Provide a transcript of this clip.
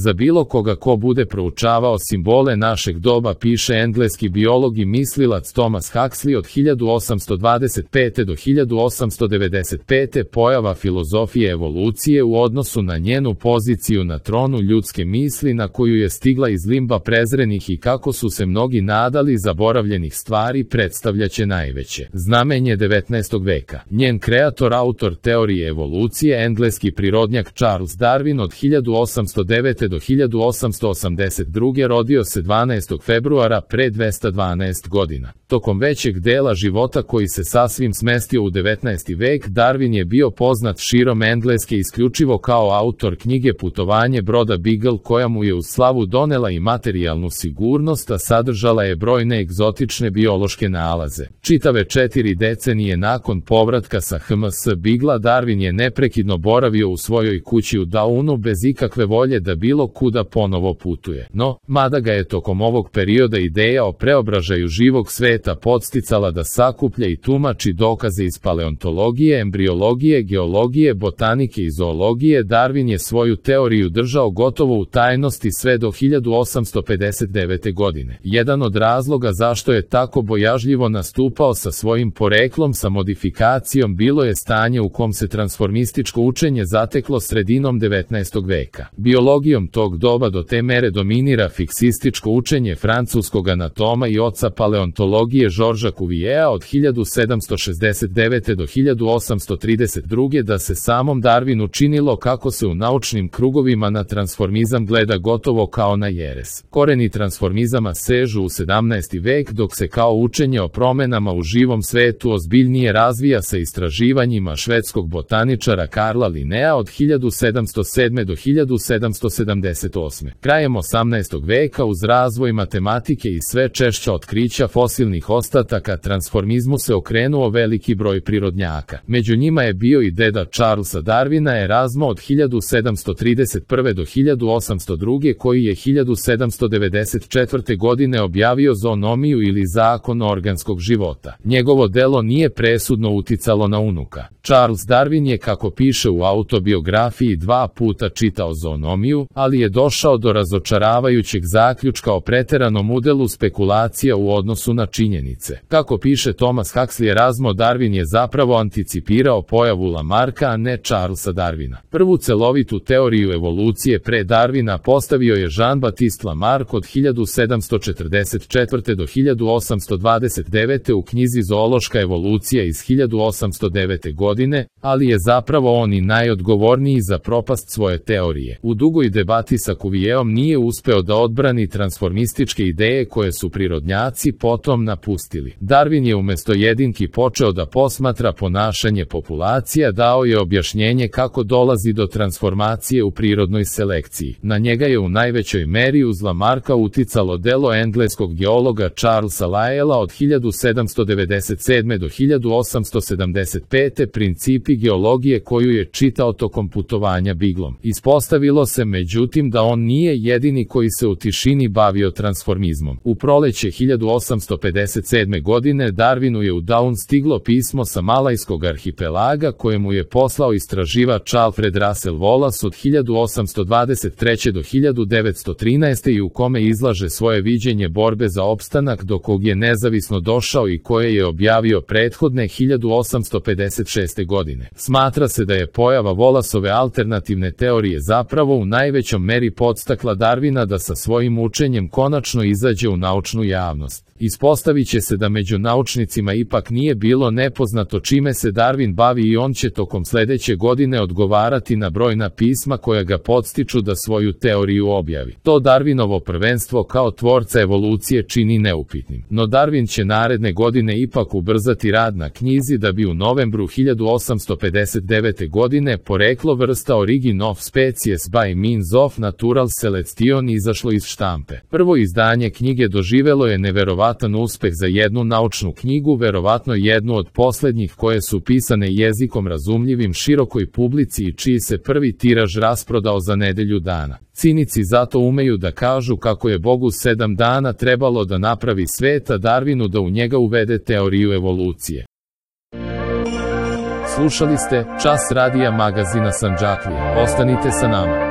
Za bilo koga ko bude proučavao simbole našeg doba, piše engleski biolog i mislilac Thomas Huxley od 1825. do 1895. pojava filozofije evolucije u odnosu na njenu poziciju na tronu ljudske misli na koju je stigla iz limba prezrenih i kako su se mnogi nadali zaboravljenih stvari predstavljaće najveće znamenje 19. veka. Njen kreator, autor teorije evolucije, engleski prirodnjak Charles Darwin od 1809. do 1882. rodio se 12. februara pre 212 godina. Tokom većeg dela života koji se sasvim smestio u 19. vek, Darwin je bio poznat širom Engleske isključivo kao autor knjige Putovanje broda Beagle, koja mu je uz slavu donela i materijalnu sigurnost, a sadržala je brojne egzotične biološke nalaze. Čitave 4 decenije nakon povratka sa HMS Beaglea, Darwin je neprekidno boravio u svojoj kući u Downu bez ikakve volje da bilo kuda ponovo putuje. No, mada ga je tokom ovog perioda ideja o preobražaju živog sveta podsticala da sakuplja i tumači dokaze iz paleontologije, embriologije, geologije, botanike i zoologije, Darwin je svoju teoriju držao gotovo u tajnosti sve do 1859. godine. Jedan od razloga zašto je tako bojažljivo nastupao sa svojim poreklom sa modifikacijom bilo je stanje u kom se transformističko učenje zateklo sredinom 19. veka. Biologijom tog doba do te mere dominira fiksističko učenje francuskog anatoma i oca paleontologije Georgesa Cuviera od 1769. do 1832. da se samom Darwinu činilo kako se u naučnim krugovima na transformizam gleda gotovo kao na jeres. Koreni transformizama sežu u 17. vek, dok se kao učenje o promenama u živom svetu ozbiljnije razvija sa istraživanjima švedskog botaničara Karla Linnea od 1707. do 1778. Krajem 18. veka uz razvoj matematike i sve češća otkrića fosilnih ostataka transformizmu se okrenuo veliki broj prirodnjaka. Među njima je bio i deda Charlesa Darwina, Erasmo od 1731. do 1802. koji je 1794. godine objavio zoonomiju ili zakon organskog života. Njegovo delo nije presudno uticalo na unuka. Charles Darwin je, kako piše u autobiografiji, 2 puta čitao zoonomiju, ali je došao do razočaravajućeg zaključka o preteranom udelu spekulacija u odnosu na činjenice. Kako piše Thomas Huxley, Erasmo Darwin je zapravo anticipirao pojavu Lamarcka, a ne Charlesa Darwina. Prvu celovitu teoriju evolucije pre Darwina postavio je Jean-Baptiste Lamarck od 1744. do 1829. u knjizi Zoološka evolucija iz 1809. godine, ali je zapravo on i najodgovorniji za propast svoje teorije. U dugoj debati sa Cuvierom nije uspeo da odbrani transformističke ideje koje su prirodnjaci potom napustili. Darwin je umesto jedinki počeo da posmatra ponašanje populacija, dao je objašnjenje kako dolazi do transformacije u prirodnoj selekciji. Na njega je u najvećoj meri uz Lamarcka uticalo delo engleskog geologa Charlesa Lyella od 1797. do 1875. Principi geologije, koju je čitao tokom putovanja Beaglom. Ispostavilo se međutim da on nije jedini koji se u tišini bavio transformizmom. U proleće 1857. godine Darwinu je u Down stiglo pismo sa Malajskog arhipelaga kojemu je poslao istraživač Alfred Russel Wallace od 1823. do 1913. i u kome izlaže svoje viđenje borbe za opstanak do kog je nezavisno došao i koje je objavio prethodne 1856. godine. Smatra se da je pojava Wallaceove alternativne teorije zapravo u najvećom meri podstakla Darwina da sa svojim učenjem konačno izađe u naučnu javnost. Ispostavit će se da među naučnicima ipak nije bilo nepoznato čime se Darwin bavi i on će tokom sledeće godine odgovarati na brojna pisma koja ga podstiču da svoju teoriju objavi. To Darwinovo prvenstvo kao tvorca evolucije čini neupitnim. No Darwin će naredne godine ipak ubrzati rad na knjizi da bi u novembru 1859. godine Poreklo vrsta Origin of Species by Means of Natural Selection izašlo iz štampe. Prvo izdanje knjige doživelo je neverovatan uspeh za jednu naučnu knjigu, verovatno jednu od poslednjih koje su pisane jezikom razumljivim širokoj publici i čiji se prvi tiraž rasprodao za nedelju dana. Cinici zato umeju da kažu kako je Bogu 7 dana trebalo da napravi svet, a Darwinu da u njega uvede teoriju evolucije. Slušali ste Čas radija magazina Sandžaklija. Ostanite sa nama.